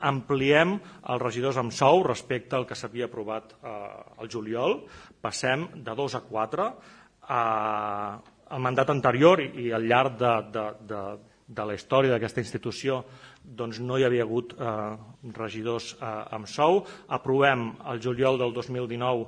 ampliem els regidors amb sou respecte al que s'havia aprovat al juliol. Passem de 2 a 4. Al mandat anterior i al llarg de la història d'aquesta institució no hi havia hagut regidors amb sou. Aprovem el juliol del 2019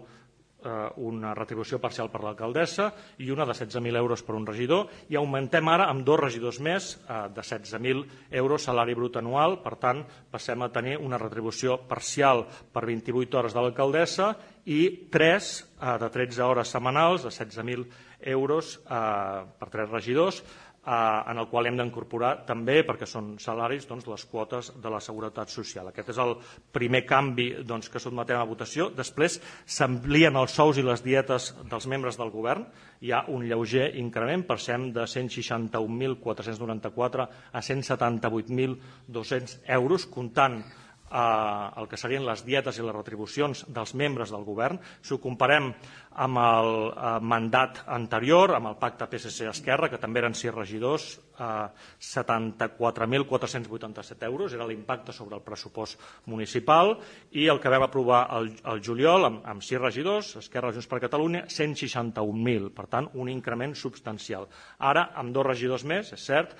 una retribució parcial per l'alcaldessa i una de 16.000 euros per un regidor, i augmentem ara amb 2 regidors més de 16.000 euros salari brut anual. Per tant, passem a tenir una retribució parcial per 28 hores de l'alcaldessa i 3 de 13 hores setmanals de 16.000 euros per 3 regidors, en el qual hem d'incorporar també, perquè són salaris, les quotes de la Seguretat Social. Aquest és el primer canvi que sotmetem a votació. Després s'amplien els sous i les dietes dels membres del govern. Hi ha un lleuger increment, passem de 161.494 a 178.200 euros, comptant el que serien les dietes i les retribucions dels membres del govern. Si ho comparem amb el mandat anterior, amb el pacte PSC-Esquerra, que també eren 6 regidors, 74.487 euros era l'impacte sobre el pressupost municipal, i el que vam aprovar el juliol amb 6 regidors, Esquerra, Junts per Catalunya, 161.000, per tant un increment substancial. Ara, amb 2 regidors més, és cert,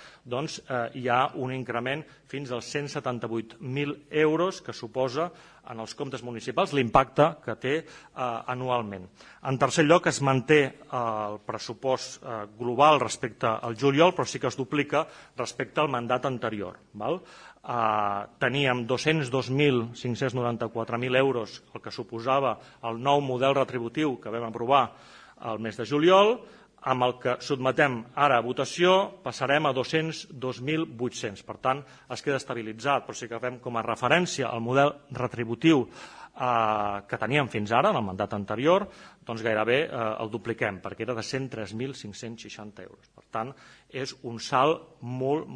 hi ha un increment fins als 178.000 euros que suposa en els comptes municipals l'impacte que té anualment. En tercer lloc, es manté el pressupost global respecte al juliol, però sí que es duplica respecte al mandat anterior. Teníem 202.594.000 euros, el que suposava el nou model retributiu que vam aprovar el mes de juliol. Amb el que sotmetem ara a votació passarem a 202.800. Per tant, es queda estabilitzat, però si agafem com a referència el model retributiu que teníem fins ara, en el mandat anterior, gairebé el dupliquem, perquè era de 103.560 euros. Per tant, és un salt molt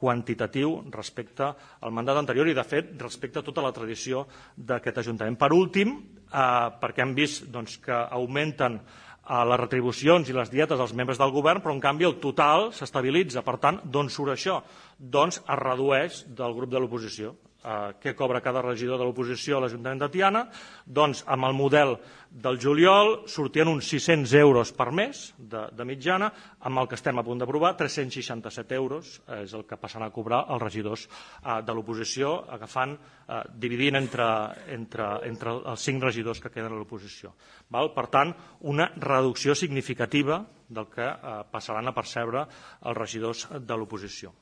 quantitatiu respecte al mandat anterior i, de fet, respecte a tota la tradició d'aquest Ajuntament. Per últim, perquè hem vist que augmenten les retribucions i les dietes dels membres del govern, però en canvi el total s'estabilitza. Per tant, d'on surt això? Doncs es redueix del grup de l'oposició. Què cobra cada regidor de l'oposició a l'Ajuntament de Tiana? Doncs amb el model del juliol sortien uns 600 euros per mes de mitjana, amb el que estem a punt d'aprovar 367 euros és el que passaran a cobrar els regidors de l'oposició, dividint entre els 5 regidors que queden a l'oposició. Per tant, una reducció significativa del que passaran a percebre els regidors de l'oposició.